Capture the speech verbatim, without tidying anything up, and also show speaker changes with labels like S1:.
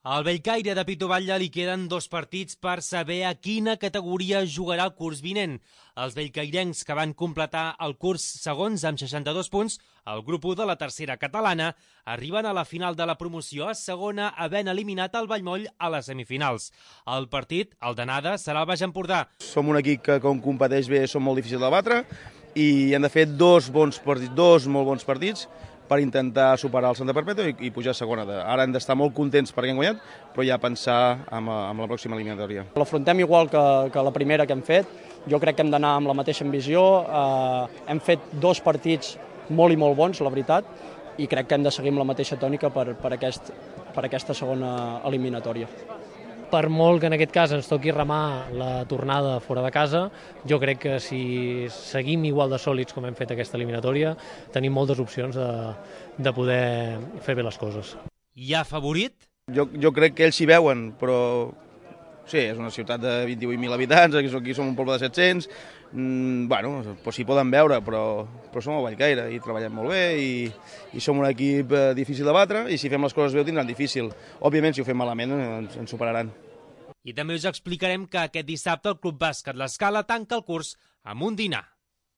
S1: Al Bellcaire de Pitoballa li queden dos partits per saber a quina categoria jugarà el curs vinent. Els bellcairencs, que van completar el curs segons amb seixanta-dos punts, el grup u de la tercera catalana, arriben a la final de la promoció a segona, havent eliminat el Vallmoll a les semifinals. El partit, el d'anada, serà al Baix Empordà.
S2: Som un equip que, com competeix bé, som molt difícils de batre i hem de fer dos bons partits, dos molt bons partits per intentar superar el Santa Perpètua i, i pujar a segona. Ara hem d'estar molt contents perquè hem guanyat, però ja pensar en, en la pròxima eliminatòria.
S3: L'afrontem igual que, que la primera que hem fet. Jo crec que hem d'anar amb la mateixa ambició. Eh, hem fet dos partits molt i molt bons, la veritat, i crec que hem de seguir amb la mateixa tònica per, per, aquest, per aquesta segona eliminatòria.
S4: Per molt que en aquest cas ens toqui remar la tornada fora de casa, jo crec que si seguim igual de sòlids com hem fet aquesta eliminatòria, tenim moltes opcions de, de poder fer bé les coses.
S1: Hi ha favorit?
S2: Jo, jo crec que ells s'hi veuen, però sí, és una ciutat de vint-i-vuit mil habitants, aquí, aquí som un poble de set-cents, mm, bueno, doncs s'hi poden veure, però, però som al Bellcaire i treballem molt bé i, i som un equip eh, difícil de batre i si fem les coses bé ho tindran difícil. Òbviament, si ho fem malament ens, ens superaran.
S1: I també us explicarem que aquest dissabte el Club Bàsquet L'Escala tanca el curs amb un dinar.